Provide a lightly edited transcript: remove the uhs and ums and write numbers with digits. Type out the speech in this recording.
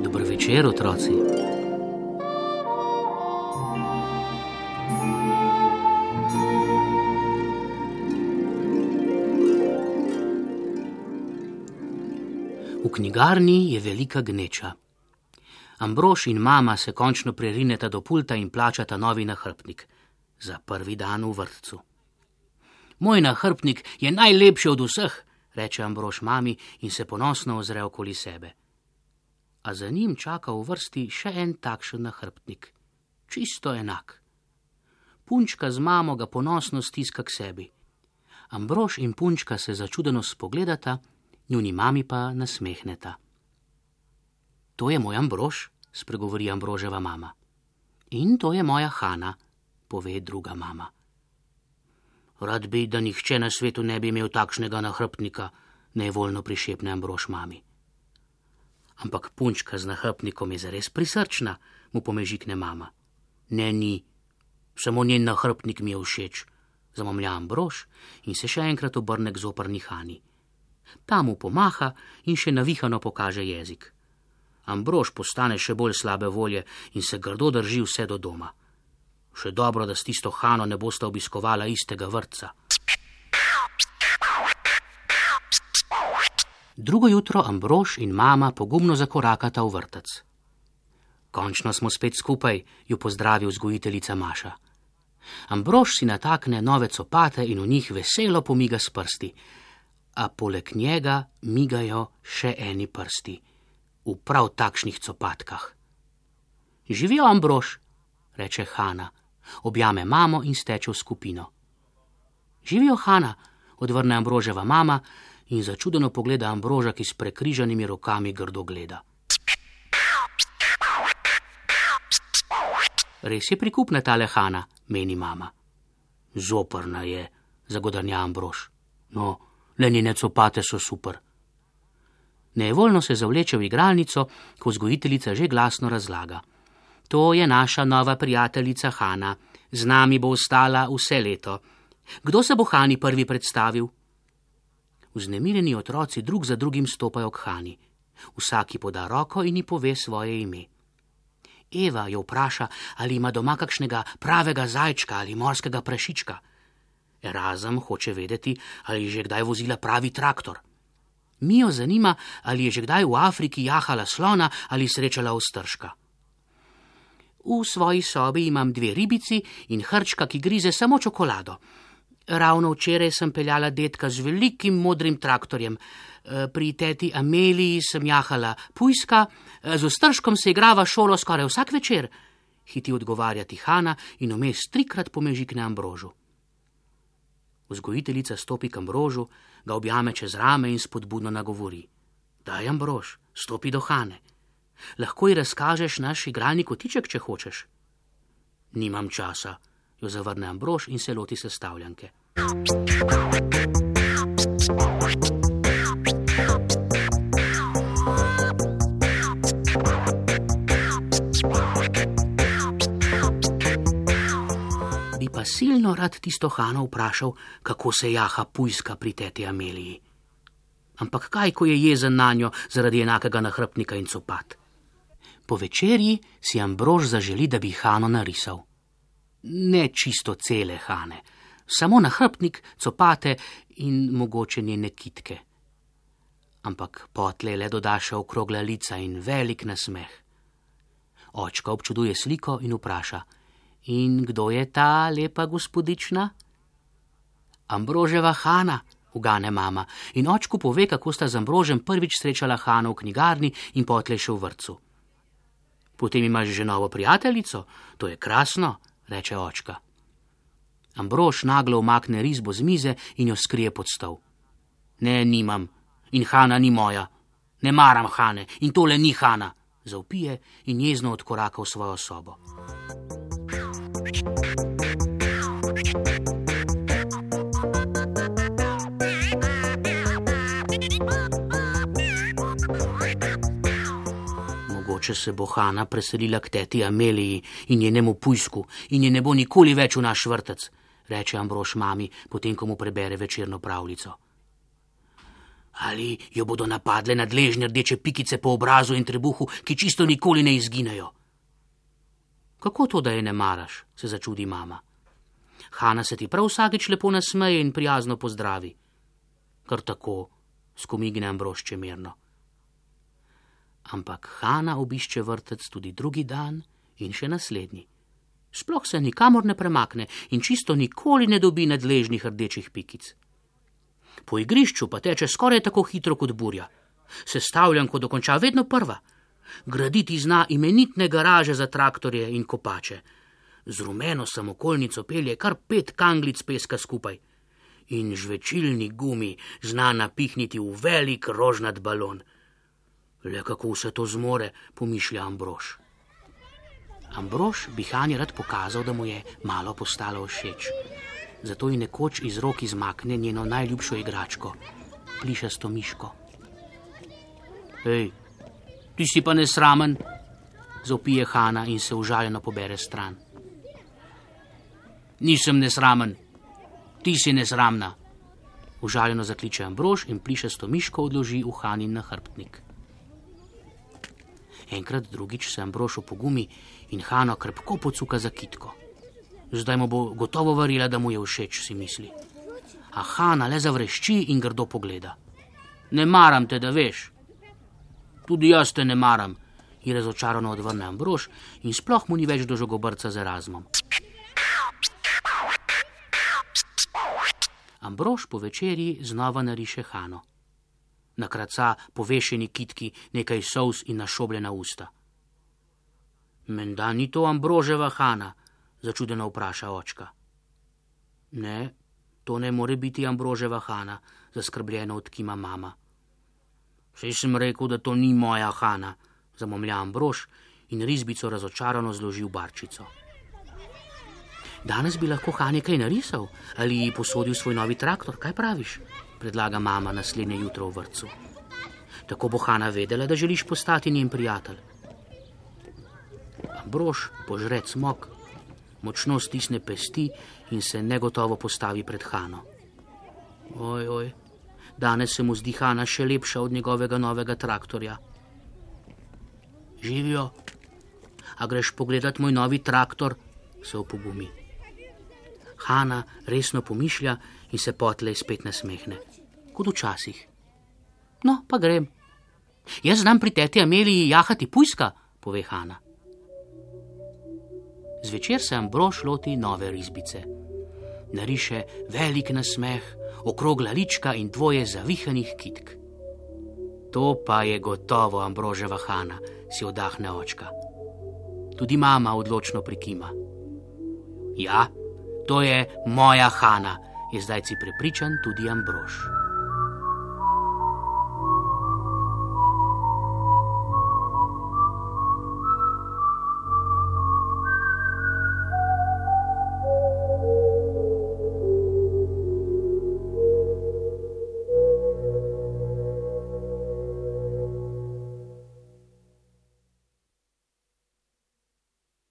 Dober večer, otroci. V knjigarni je velika gneča. Ambrož in mama se končno prerineta do pulta in plačata novi nahrbtnik za prvi dan v vrtcu. Moj nahrbtnik je najlepši od vseh, reče Ambrož mami in se ponosno ozre okoli sebe. A za njim čaka v vrsti še en takšen nahrbtnik, čisto enak. Punčka z mamo ga ponosno stiska k sebi. Ambrož in punčka se začudeno spogledata, njuni mami pa nasmehneta. To je moj Ambrož, spregovori Ambroževa mama. In to je moja Hana, pove druga mama. Rad bi, da nihče na svetu ne bi imel takšnega nahrbtnika, nevoljno prišepne Ambrož mami. Ampak punčka z nahrbtnikom je zares prisrčna, mu pomežikne mama. Ne, ni, samo njen nahrbtnik mi je všeč, zamomlja Ambrož in se še enkrat obrne k zoprni Hani. Ta mu pomaha in še navihano pokaže jezik. Ambrož postane še bolj slabe volje in se grdo drži vse do doma. Še dobro, da s tisto Hano ne bosta obiskovala istega vrtca. Drugo jutro Ambrož in mama pogumno zakorakata v vrtec. Končno smo spet skupaj, ju pozdravi vzgojiteljica Maša. Ambrož si natakne nove copate in v njih veselo pomiga s prsti, a poleg njega migajo še eni prsti, v prav takšnih copatkah. Živijo, Ambrož, reče Hana, objame mamo in steče v skupino. Živijo, Hana, odvrne Ambroževa mama in začudeno pogleda Ambroža, ki s prekrižanimi rokami grdo gleda. Res je prikupna tale Hana, meni mama. Zoprna je, zagodrnja Ambrož. No, le njene copate so super. Nevoljno se zavleče v igralnico, ko vzgojiteljica že glasno razlaga. To je naša nova prijateljica Hana. Z nami bo ostala vse leto. Kdo se bo Hani prvi predstavil? Vznemirjeni otroci drug za drugim stopajo k Hani. Vsaki poda roko in ji pove svoje ime. Eva jo vpraša, ali ima doma kakšnega pravega zajčka ali morskega prašička. Erazem hoče vedeti, ali je že kdaj vozila pravi traktor. Mijo zanima, ali je že kdaj v Afriki jahala slona ali srečala ostržka. V svoji sobi imam 2 ribici in hrčka, ki grize samo čokolado. Ravno včeraj sem peljala dedka z velikim modrim traktorjem. Pri teti Ameliji sem jahala pujska, z ostržkom se igrava šolo skoraj vsak večer, hiti odgovarjati Hana in vmes 3-krat pomežikne Ambrožu. Vzgojiteljica stopi k Ambrožu, ga objame čez rame in spodbudno nagovori. Daj, Ambrož, stopi do Hane. Lahko ji razkažeš naš igralni kotiček, če hočeš. Nimam časa, jo zavrne Ambrož in se loti sestavljanke. Bi pa silno rad tisto Hano vprašal, kako se jaha pujska pri teti Ameliji. Ampak kaj, ko je jezen nanjo zaradi enakega nahrbtnika in copat? Po večerji si Ambrož zaželi, da bi Hano narisal. Ne čisto cele Hane, samo nahrbtnik, copate in mogoče njene kitke. Ampak potlej le doda še okrogla lica in velik nasmeh. Očka občuduje sliko in vpraša, in kdo je ta lepa gospodična? Ambroževa Hana, ugane mama, in očku pove, kako sta z Ambrožem prvič srečala Hano v knjigarni in potlej še v vrtcu. Potem imaš že novo prijateljico, to je krasno, reče očka. Ambrož naglo umakne risbo z mize in jo skrije pod stol. Ne, nimam, in Hana ni moja. Ne maram Hane in tole ni Hana, zavpije in jezno odkoraka v svojo sobo. Mogoče se bo Hana preselila k teti Ameliji in njenemu pujsku in je ne bo nikoli več v naš vrtec, reče Ambrož mami, potem ko mu prebere večerno pravljico. Ali jo bodo napadle nadležne rdeče pikice po obrazu in trebuhu, ki čisto nikoli ne izginejo? Kako to, da je ne maraš, se začudi mama. Hana se ti prav vsakič lepo nasmeje in prijazno pozdravi. Kar tako, skomigne Ambrož čemerno. Ampak Hana obišče vrtec tudi drugi dan in še naslednji. Sploh se nikamor ne premakne in čisto nikoli ne dobi nadležnih rdečih pikic. Po igrišču pa teče skoraj tako hitro kot burja. Sestavljanko dokonča vedno prva. Graditi zna imenitne garaže za traktorje in kopače. Z rumeno samokolnico pelje kar 5 kanglic peska skupaj. In žvečilni gumi zna napihniti v velik rožnat balon. Le kako vse to zmore, pomišlja Ambrož. Ambrož bi Hani rad pokazal, da mu je malo postalo všeč. Zato ji nekoč iz rok izmakne njeno najljubšo igračko, plišasto miško. Hej, ti si pa nesramen, zavpije Hana in se užaljeno pobere stran. Nisem nesramen, ti si nesramna, užaljeno zakliče Ambrož in plišasto miško odloži v Hanin nahrbtnik. Enkrat drugič se Ambrož opogumi in Hano krepko pocuka za kitko. Zdaj mu bo gotovo verjela, da mu je všeč, si misli. A Hana le zavrešči in grdo pogleda. Ne maram te, da veš. Tudi jaz te ne maram, ji razočarano odvrne Ambrož in sploh mu ni več do žogobrca z Erazmom. Ambrož po večerji znova nariše Hano. Nakraca povešeni kitki nekaj solz in našobljena usta. Menda ni to Ambroževa Hana, začudeno vpraša očka. Ne, to ne more biti Ambroževa Hana, zaskrbljeno odkima mama. Saj sem rekel, da to ni moja Hana, zamomlja Ambrož in risbico razočarano zloži v barčico. Danes bi lahko Hani kaj narisal ali ji posodil svoj novi traktor, kaj praviš? Predlaga mama naslednje jutro v vrtcu. Tako bo Hana vedela, da želiš postati njen prijatelj. Ambrož požre cmok, močno stisne pesti in se negotovo postavi pred Hano. Oj, danes se mu zdi Hana še lepša od njegovega novega traktorja. Živijo, a greš pogledat moj novi traktor, se opogumi. Hana resno pomišlja in se potlej spet nasmehne, kot včasih. No, pa grem. Jaz znam pri teti Ameliji jahati pujska, pove Hana. Zvečer se Ambrož loti nove risbice. Nariše velik nasmeh, okrogla lička in 2 zavihanih kitk. To pa je gotovo Ambroževa Hana, si oddahne očka. Tudi mama odločno prikima. Ja, to je moja Hana, je zdajci prepričan tudi Ambrož.